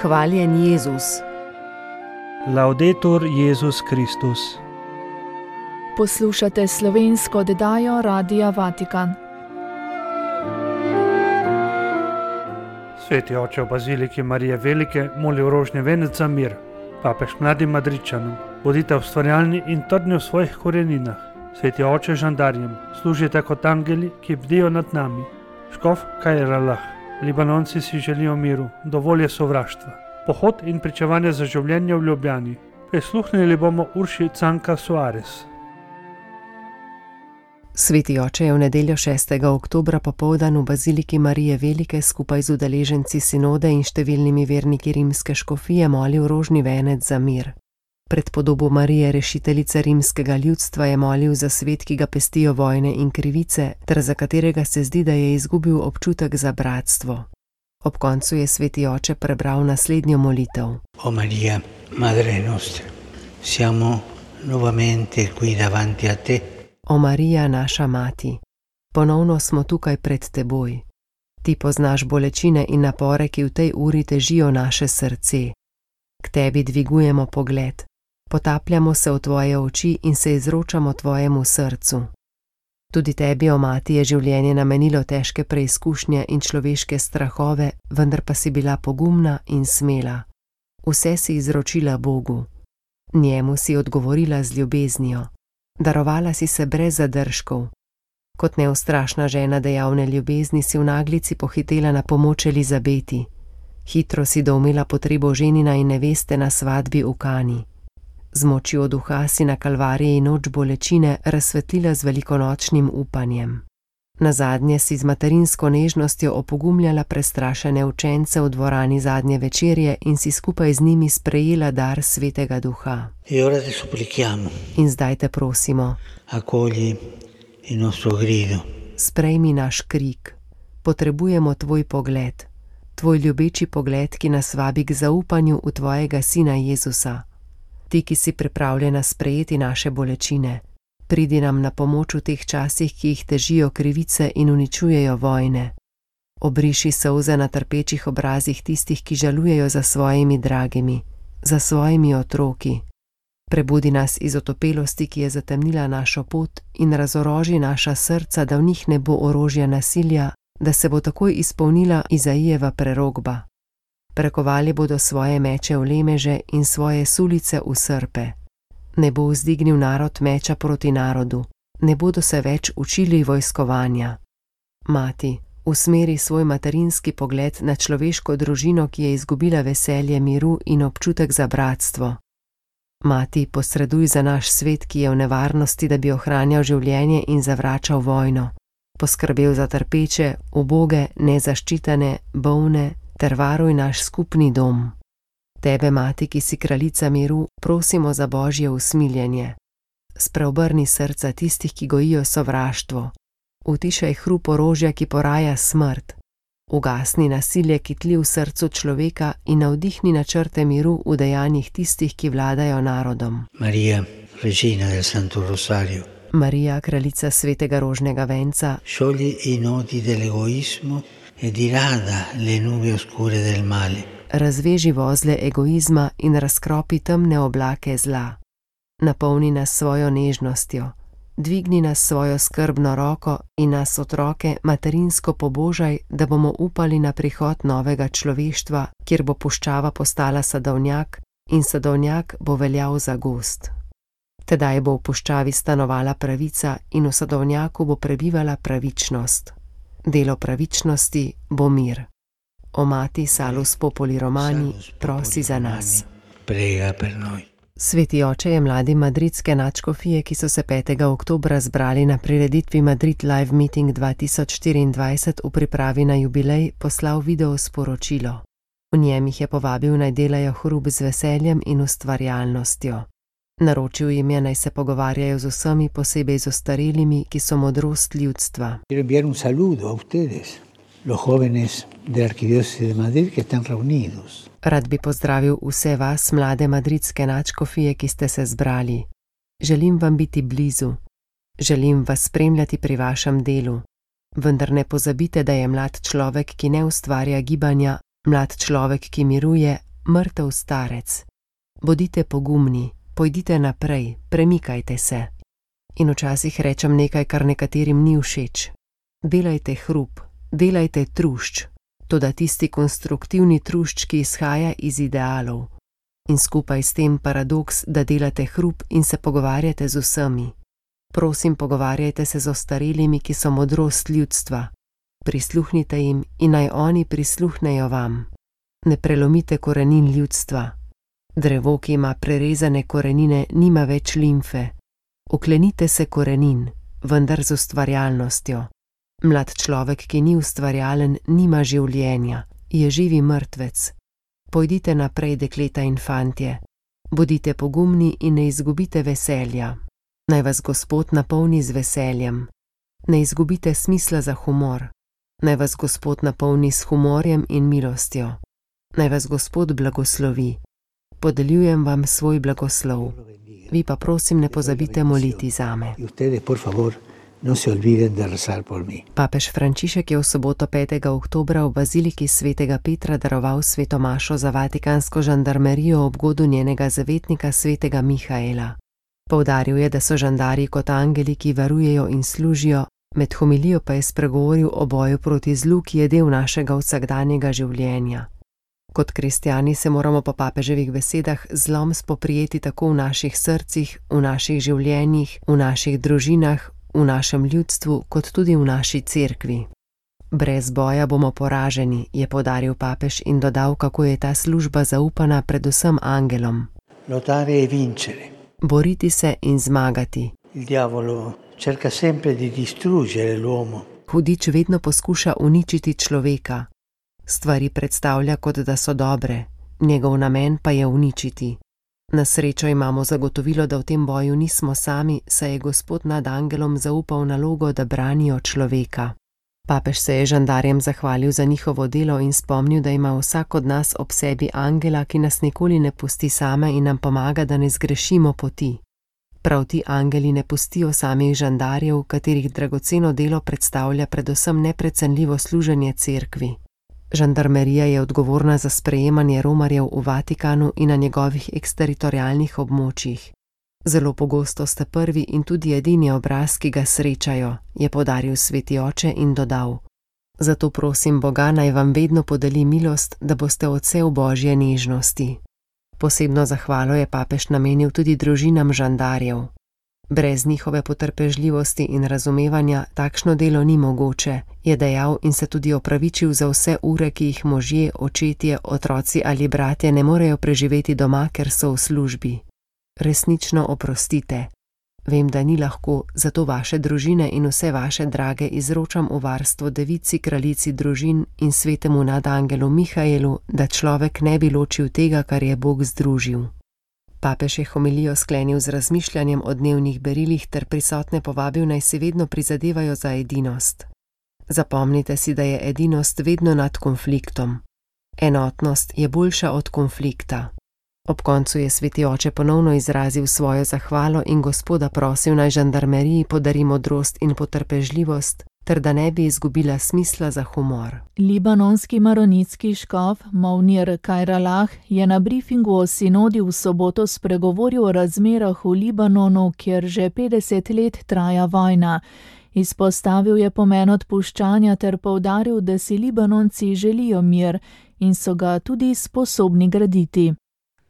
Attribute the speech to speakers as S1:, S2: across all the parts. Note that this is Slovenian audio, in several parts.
S1: Hvaljen Jezus.
S2: Laudetur Jezus Kristus.
S3: Poslušate slovensko oddajo Radia Vatikan.
S2: Sveti oče v baziliki Marije Velike moli v rožni venec za mir. Papež mladim Madridčanom, bodite ustvarjalni in trdni v svojih koreninah. Sveti oče žandarjem, služite kot angeli, ki bdijo nad nami. Škof Kajralah, Libanonci si želijo miru, dovolj je sovraštva. Pohod in pričevanje za življenje v Ljubljani. Prisluhnili bomo Urši Canka Suarez.
S1: Sveti oče je v nedeljo 6. oktobra popoldan v baziliki Marije Velike skupaj z udeleženci sinode in številnimi verniki rimske škofije molil rožni venec za mir. Pred podobo Marije, rešiteljice rimskega ljudstva, je molil za svet, ki ga pestijo vojne in krivice, ter za katerega se zdi, da je izgubil občutek za bratstvo. Ob koncu je sveti oče prebral naslednjo molitev.
S4: O Maria, Madre nostra, siamo nuovamente qui davanti a te.
S1: O Marija, naša mati, ponovno smo tukaj pred teboj. Ti poznaš bolečine in napore, ki v tej uri težijo naše srce. K tebi dvigujemo pogled, potapljamo se v tvoje oči in se izročamo tvojemu srcu. Tudi tebi, o mati, je življenje namenilo težke preizkušnje in človeške strahove, vendar pa si bila pogumna in smela. Vse si izročila Bogu. Njemu si odgovorila z ljubeznijo. Darovala si se brez zadržkov. Kot neustrašna žena dejavne ljubezni si v naglici pohitela na pomoč Elizabeti. Hitro si doumela potrebo ženina in neveste na svadbi v Kani. Z močjo duha si na Kalvariji noč bolečine razsvetlila z velikonočnim upanjem. Nazadnje si z materinsko nežnostjo opogumljala prestrašene učence v dvorani zadnje večerje in si skupaj z njimi sprejela dar svetega duha. In zdaj te prosimo, sprejmi naš krik. Potrebujemo tvoj pogled, tvoj ljubeči pogled, ki nas vabi k zaupanju v tvojega sina Jezusa. Ti, ki si pripravljena sprejeti naše bolečine, pridi nam na pomoč v teh časih, ki jih težijo krivice in uničujejo vojne. Obriši solze na trpečih obrazih tistih, ki žalujejo za svojimi dragimi, za svojimi otroki. Prebudi nas iz otopelosti, ki je zatemnila našo pot, in razoroži naša srca, da v njih ne bo orožja nasilja, da se bo takoj izpolnila Izaijeva prerokba. Prekovali bodo svoje meče v lemeže in svoje sulice v srpe. Ne bo vzdignil narod meča proti narodu, ne bodo se več učili vojskovanja. Mati, usmeri svoj materinski pogled na človeško družino, ki je izgubila veselje miru in občutek za bratstvo. Mati, posreduj za naš svet, ki je v nevarnosti, da bi ohranjal življenje in zavračal vojno. Poskrbel za trpeče, uboge, nezaščitene, bolne, ter varuj naš skupni dom. Tebe, mati, ki si kraljica miru, prosimo za božje usmiljenje. Spreobrni srca tistih, ki gojijo sovraštvo. Utišaj hrup orožja, ki poraja smrt. Ugasni nasilje, ki tli v srcu človeka, in navdihni načrte miru v dejanjih tistih, ki vladajo narodom.
S4: Maria, regina del Santo Rosario.
S1: Marija, kraljica svetega rožnega venca,
S4: sciogli i nodi dell'egoismo e dirada le nube oscure del male.
S1: Razveži vozle egoizma in razkropi temne oblake zla. Napolni nas svojo nežnostjo, dvigni nas svojo skrbno roko in nas otroke materinsko pobožaj, da bomo upali na prihod novega človeštva, kjer bo puščava postala sadovnjak in sadovnjak bo veljal za gozd. Tedaj bo v puščavi stanovala pravica in v sadovnjaku bo prebivala pravičnost. Delo pravičnosti bo mir. O mati, Salus Populi Romani, prosi za nas.
S4: Prega per noi.
S1: Sveti oče je mladim madridske nadškofije, ki so se 5. oktobra zbrali na prireditvi Madrid Live Meeting 2024 v pripravi na jubilej, poslal video sporočilo. V njem jih je povabil, naj delajo hrup z veseljem in ustvarjalnostjo. Naročil jim je, naj se pogovarjajo z vsemi, posebej z ostarelimi, ki so modrost ljudstva.
S4: Un saludo a ustedes, los jóvenes de la Arquidiócesis de Madrid que están reunidos.
S1: Rad bi pozdravil vse vas, mlade madridske nadškofije, ki ste se zbrali. Želim vam biti blizu. Želim vas spremljati pri vašem delu. Vendar ne pozabite, da je mlad človek, ki ne ustvarja gibanja, mlad človek, ki miruje, mrtev starec. Bodite pogumni, pojdite naprej, premikajte se. In včasih rečem nekaj, kar nekaterim ni všeč. Delajte hrup, delajte trušč, toda tisti konstruktivni trušč, ki izhaja iz idealov. In skupaj s tem paradoks, da delate hrup in se pogovarjate z vsemi. Prosim, pogovarjajte se z ostarelimi, ki so modrost ljudstva. Prisluhnite jim in naj oni prisluhnejo vam. Ne prelomite korenin ljudstva. Drevo, ki ima prerezane korenine, nima več limfe. Oklenite se korenin, vendar z ustvarjalnostjo. Mlad človek, ki ni ustvarjalen, nima življenja, je živi mrtvec. Pojdite naprej, dekleta in fantje. Bodite pogumni in ne izgubite veselja. Naj vas Gospod napolni z veseljem. Ne izgubite smisla za humor. Naj vas Gospod napolni s humorjem in milostjo. Naj vas Gospod blagoslovi. Podeljujem vam svoj blagoslov. Vi pa prosim ne pozabite moliti zame. Papež Frančišek je v soboto 5. oktobra v baziliki svetega Petra daroval sveto mašo za vatikansko žandarmerijo ob godu njenega zavetnika svetega Mihaela. Poudaril je, da so žandarji kot angeli, ki varujejo in služijo, med homilijo pa je spregovoril o boju proti zlu, ki je del našega vsakdanjega življenja. Kot kristjani se moramo po papeževih besedah zlom spoprijeti tako v naših srcih, v naših življenjih, v naših družinah, v našem ljudstvu, kot tudi v naši cerkvi. Brez boja bomo poraženi, je poudaril papež in dodal, kako je ta služba zaupana predvsem angelom.
S4: Lottare e vincere.
S1: Boriti se in zmagati.
S4: Il diavolo cerca sempre di distruggere l'uomo.
S1: Hudič vedno poskuša uničiti človeka. Stvari predstavlja, kot da so dobre, njegov namen pa je uničiti. Na srečo imamo zagotovilo, da v tem boju nismo sami, saj je Gospod nad angelom zaupal nalogo, da branijo človeka. Papež se je žandarjem zahvalil za njihovo delo in spomnil, da ima vsak od nas ob sebi angela, ki nas nikoli ne pusti same in nam pomaga, da ne zgrešimo poti. Prav ti angeli ne pustijo samih žandarjev, katerih dragoceno delo predstavlja predvsem neprecenljivo služenje cerkvi. Žandarmerija je odgovorna za sprejemanje romarjev v Vatikanu in na njegovih eksteritorialnih območjih. Zelo pogosto sta prvi in tudi edini obraz, ki ga srečajo, je poudaril sveti oče in dodal: Zato prosim Boga, naj vam vedno podeli milost, da boste odsev Božje nežnosti. Posebno zahvalo je papež namenil tudi družinam žandarjev. Brez njihove potrpežljivosti in razumevanja takšno delo ni mogoče, je dejal in se tudi opravičil za vse ure, ki jih možje, očetje, otroci ali bratje ne morejo preživeti doma, ker so v službi. Resnično oprostite. Vem, da ni lahko, zato vaše družine in vse vaše drage izročam v varstvo devici, kraljici družin in svetemu nadangelu Mihaelu, da človek ne bi ločil tega, kar je Bog združil. Papež je homilijo sklenil z razmišljanjem o dnevnih berilih ter prisotne povabil, naj si vedno prizadevajo za edinost. Zapomnite si, da je edinost vedno nad konfliktom. Enotnost je boljša od konflikta. Ob koncu je sveti oče ponovno izrazil svojo zahvalo in Gospoda prosil, naj žandarmeriji podari modrost in potrpežljivost, ter da ne bi izgubila smisla za humor.
S3: Libanonski maronitski škof Mounir Kajralah je na briefingu o sinodi v soboto spregovoril o razmerah v Libanonu, kjer že 50 let traja vojna. Izpostavil je pomen odpuščanja ter poudaril, da si Libanonci želijo mir in so ga tudi sposobni graditi.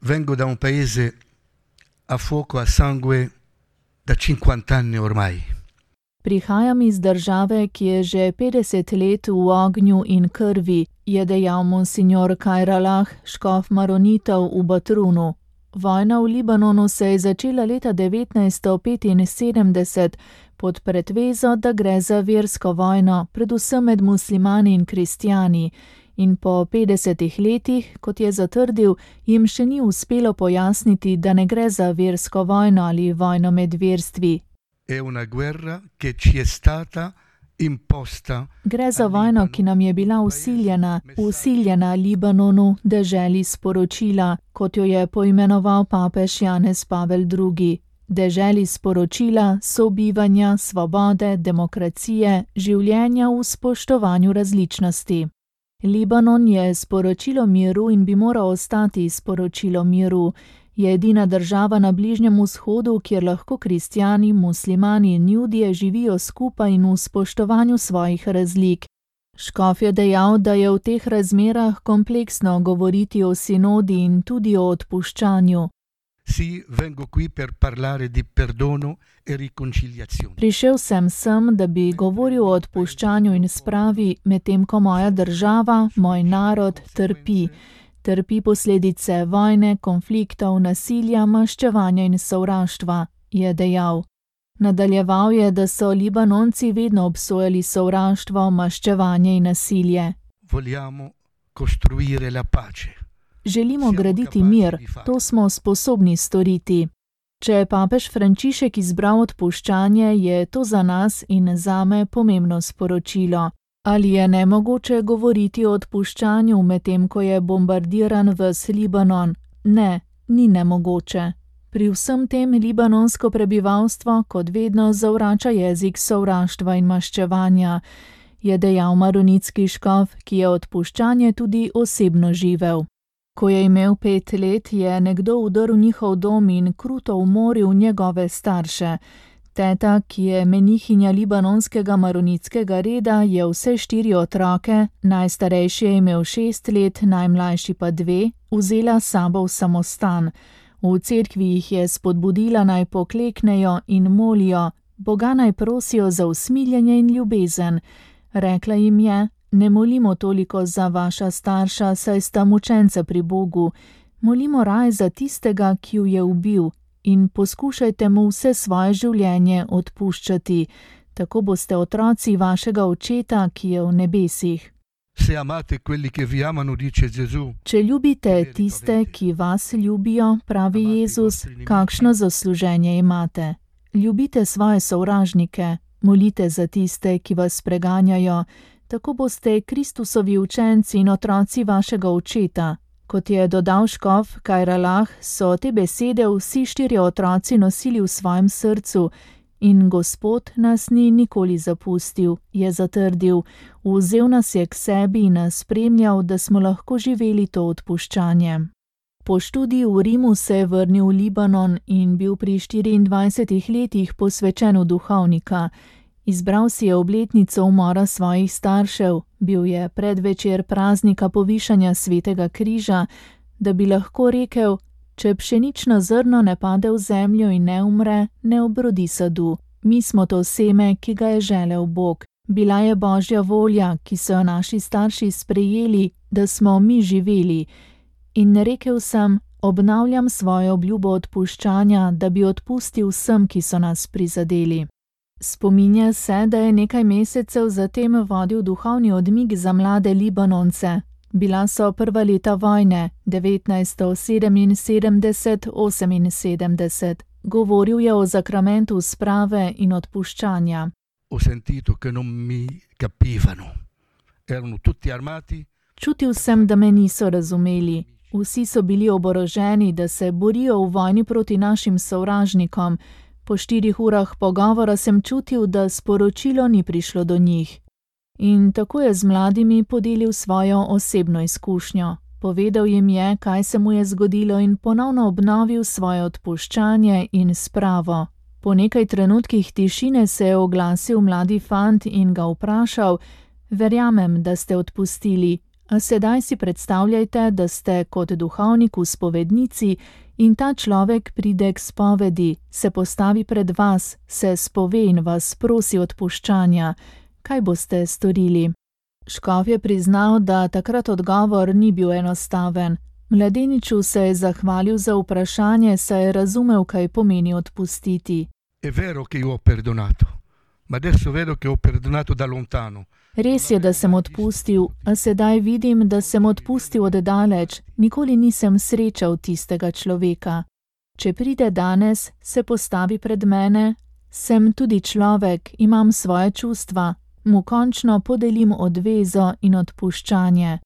S5: Vengo da un paese a fuoco a sangue da 50 anni ormai.
S3: Prihajam iz države, ki je že 50 let v ognju in krvi, je dejal monsignor Kajralah, škof maronitov v Batrunu. Vojna v Libanonu se je začela leta 1975 pod pretvezo, da gre za versko vojno, predvsem med muslimani in kristjani. In po 50 letih, kot je zatrdil, jim še ni uspelo pojasniti, da ne gre za versko vojno ali vojno med verstvi. Gre za vojno, ki nam je bila vsiljena Libanonu, deželi sporočila, kot jo je poimenoval papež Janez Pavel II. Deželi sporočila, sobivanja, svobode, demokracije, življenja v spoštovanju različnosti. Libanon je sporočilo miru in bi moral ostati sporočilo miru. Je edina država na Bližnjem vzhodu, kjer lahko kristjani, muslimani in judje živijo skupaj in v spoštovanju svojih razlik. Škof je dejal, da je v teh razmerah kompleksno govoriti o sinodi in tudi o odpuščanju.
S5: Sì, vengo qui per parlare di perdono e riconciliazione.
S3: Prišel sem, da bi govoril o odpuščanju in spravi, medtem ko moja država, moj narod trpi. Trpi posledice vojne, konfliktov, nasilja, maščevanja in sovraštva, je dejal. Nadaljeval je, da so Libanonci vedno obsojali sovraštvo, maščevanje in nasilje.
S5: Vogliamo costruire la pace.
S3: Želimo graditi mir, to smo sposobni storiti. Če je papež Frančišek izbral odpuščanje, je to za nas in zame pomembno sporočilo. Ali je nemogoče govoriti o odpuščanju, medtem ko je bombardiran ves Libanon? Ne, ni nemogoče. Pri vsem tem libanonsko prebivalstvo kot vedno zavrača jezik sovraštva in maščevanja, je dejal maronitski škof, ki je odpuščanje tudi osebno živel. Ko je imel 5 let, je nekdo vdrl njihov dom in kruto umoril njegove starše. Teta, ki je menihinja libanonskega maronitskega reda, je vse 4 otroke, najstarejši je imel 6 let, najmlajši pa 2, vzela s sabo v samostan. V cerkvi jih je spodbudila naj pokleknejo in molijo, Boga naj prosijo za usmiljenje in ljubezen. Rekla jim je: ne molimo toliko za vaša starša, saj sta mučenca pri Bogu. Molimo raje za tistega, ki ju je ubil, in poskušajte mu vse svoje življenje odpuščati. Tako boste otroci vašega očeta, ki je v nebesih.
S5: Se amate quelli che vi amano, dice Gesù.
S3: Če ljubite tiste, ki vas ljubijo, pravi Jezus, kakšno zasluženje imate? Ljubite svoje sovražnike, molite za tiste, ki vas preganjajo, tako boste Kristusovi učenci in otroci vašega očeta. Kot je dodal škof Kajralah, so te besede vsi 4 otroci nosili v svojem srcu in Gospod nas ni nikoli zapustil, je zatrdil, vzel nas je k sebi in nas spremljal, da smo lahko živeli to odpuščanje. Po študiju v Rimu se je vrnil v Libanon in bil pri 24 letih posvečen v duhovnika. Izbral si je obletnico umora svojih staršev, bil je predvečer praznika povišanja Svetega križa, da bi lahko rekel: če pšenično zrno ne pade v zemljo in ne umre, ne obrodi sadu. Mi smo to seme, ki ga je želel Bog. Bila je Božja volja, ki so jo naši starši sprejeli, da smo mi živeli. In rekel sem: obnavljam svojo obljubo odpuščanja, da bi odpustil vsem, ki so nas prizadeli. Spominja se, da je nekaj mesecev zatem vodil duhovni odmik za mlade Libanonce. Bila so prva leta vojne, 1977-78. Govoril je o zakramentu sprave in odpuščanja.
S5: Ho sentito che non mi capivano. Erano tutti armati.
S3: Čutil sem, da me niso razumeli. Vsi so bili oboroženi, da se borijo v vojni proti našim sovražnikom. Po 4 urah pogovora sem čutil, da sporočilo ni prišlo do njih. In tako je z mladimi podelil svojo osebno izkušnjo. Povedal jim je, kaj se mu je zgodilo in ponovno obnovil svoje odpuščanje in spravo. Po nekaj trenutkih tišine se je oglasil mladi fant in ga vprašal: verjamem, da ste odpustili, a sedaj si predstavljajte, da ste kot duhovnik v spovednici in ta človek pride k spovedi, se postavi pred vas, se spove in vas prosi odpuščanja. Kaj boste storili? Škof je priznal, da takrat odgovor ni bil enostaven. Mladeniču se je zahvalil za vprašanje, saj je razumel, kaj pomeni odpustiti.
S5: È vero che io ho perdonato, ma adesso vedo che ho perdonato da lontano.
S3: Res je, da sem odpustil, a sedaj vidim, da sem odpustil od daleč, nikoli nisem srečal tistega človeka. Če pride danes, se postavi pred mene, sem tudi človek, imam svoje čustva, mu končno podelim odvezo in odpuščanje.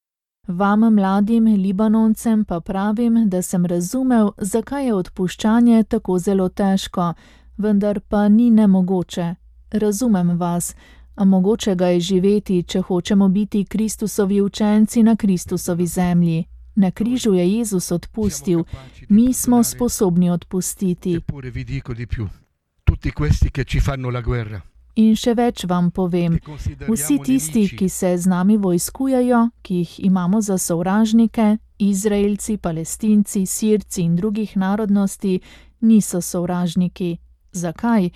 S3: Vam, mladim Libanoncem, pa pravim, da sem razumel, zakaj je odpuščanje tako zelo težko, vendar pa ni nemogoče. Razumem vas, a mogoče ga je živeti, če hočemo biti Kristusovi učenci na Kristusovi zemlji. Na križu je Jezus odpustil, mi smo sposobni odpustiti.
S5: Eppure vi dico di più. Tutti questi che ci fanno la guerra.
S3: In še več vam povem, vsi tisti, ki se z nami vojskujejo, ki jih imamo za sovražnike, Izraelci, Palestinci, Sirci in drugih narodnosti, niso sovražniki. Zakaj?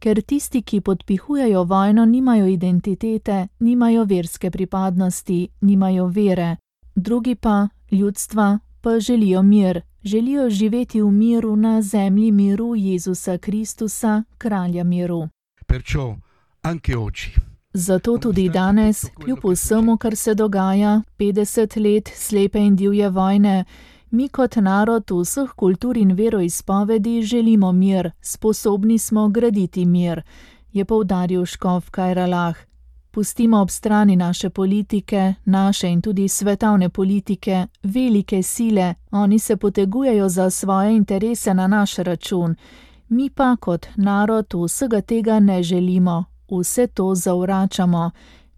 S3: Ker tisti, ki podpihujejo vojno, nimajo identitete, nimajo verske pripadnosti, nimajo vere. Drugi pa, ljudstva, pa želijo mir, želijo živeti v miru na zemlji miru Jezusa Kristusa, kralja miru.
S5: Perciò, anche oggi,
S3: Zato tudi danes, kljub vsemu, kar se dogaja, 50 let slepe in divje vojne, mi kot narod vseh kultur in veroizpovedi želimo mir, sposobni smo graditi mir, je poudaril škof Kajralah. Pustimo ob strani naše politike, naše in tudi svetovne politike, velike sile, oni se potegujejo za svoje interese na naš račun. Mi pa kot narod vsega tega ne želimo, vse to zavračamo.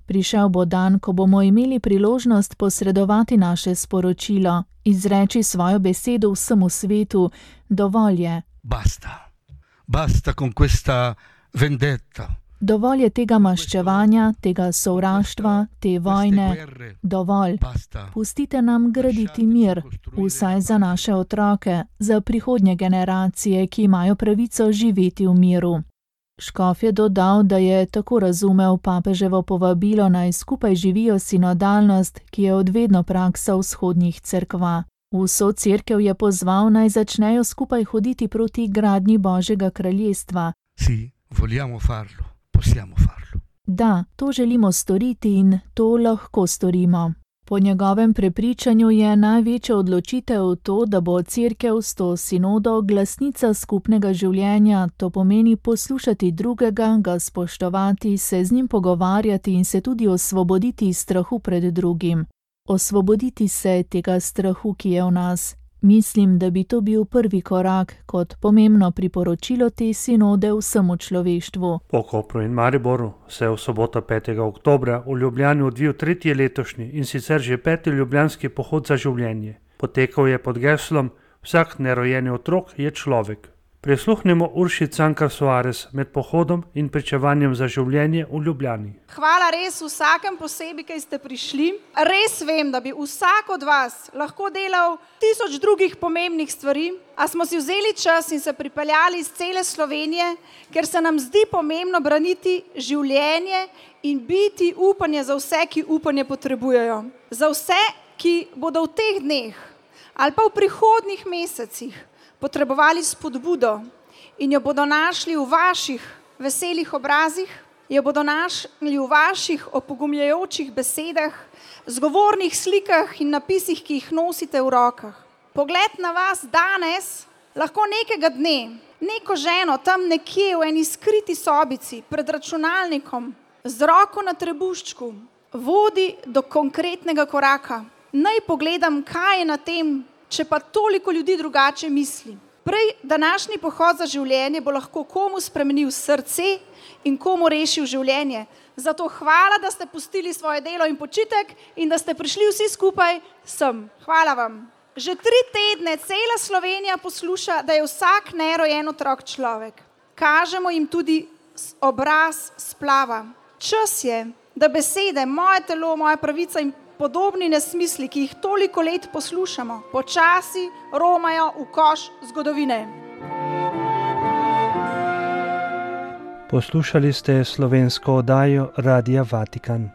S3: Prišel bo dan, ko bomo imeli priložnost posredovati naše sporočilo, izreči svojo besedo vsemu svetu, dovolj je.
S5: basta. Basta con questa vendetta.
S3: Dovolj je tega maščevanja, tega sovraštva, te vojne. Dovolj. Pustite nam graditi mir, vsaj za naše otroke, za prihodnje generacije, ki imajo pravico živeti v miru. Škof je dodal, da je tako razumel papeževo povabilo, naj skupaj živijo sinodalnost, ki je odvedno praksa vzhodnih cerkva. Vso cerkev je pozval, naj začnejo skupaj hoditi proti gradnji Božjega kraljestva.
S5: Sì, vogliamo farlo. Possiamo farlo.
S3: Da, to želimo storiti in to lahko storimo. Po njegovem prepričanju je največja odločitev to, da bo cerkev s to sinodo glasnica skupnega življenja, to pomeni poslušati drugega, ga spoštovati, se z njim pogovarjati in se tudi osvoboditi iz strahu pred drugim. Osvoboditi se tega strahu, ki je v nas. Mislim, da bi to bil prvi korak kot pomembno priporočilo te sinode vsemu človeštvu.
S2: Po Kopru in Mariboru se je v soboto 5. oktobra v Ljubljani odvil tretji letošnji in sicer že 5. ljubljanski pohod za življenje. Potekal je pod geslom Vsak nerojeni otrok je človek. Prisluhnemo Urši Cankar Soares med pohodom in pričevanjem za življenje v Ljubljani.
S6: Hvala res vsakem posebej, ki ste prišli. Res vem, da bi vsak od vas lahko delal 1000 drugih pomembnih stvari, a smo si vzeli čas in se pripeljali iz cele Slovenije, ker se nam zdi pomembno braniti življenje in biti upanje za vse, ki upanje potrebujejo. Za vse, ki bodo v teh dneh ali pa v prihodnjih mesecih potrebovali spodbudo in jo bodo našli v vaših veselih obrazih, jo bodo našli v vaših opogumljajočih besedah, zgovornih slikah in napisih, ki jih nosite v rokah. Pogled na vas danes lahko nekega dne, neko ženo tam nekje v eni skriti sobici pred računalnikom, z roko na trebuščku, vodi do konkretnega koraka. Naj pogledam, kaj je na tem, če pa toliko ljudi drugače misli. Prej današnji pohod za življenje bo lahko komu spremenil srce in komu rešil življenje. Zato hvala, da ste pustili svoje delo in počitek in da ste prišli vsi skupaj sem. Hvala vam. Že 3 tedne cela Slovenija posluša, da je vsak nerojen otrok človek. Kažemo jim tudi obraz splava. Čas je, da besede moje telo, moja pravica in podobni nesmisli, ki jih toliko let poslušamo, počasi romajo v koš zgodovine.
S2: Poslušali ste slovensko oddajo Radia Vatikan.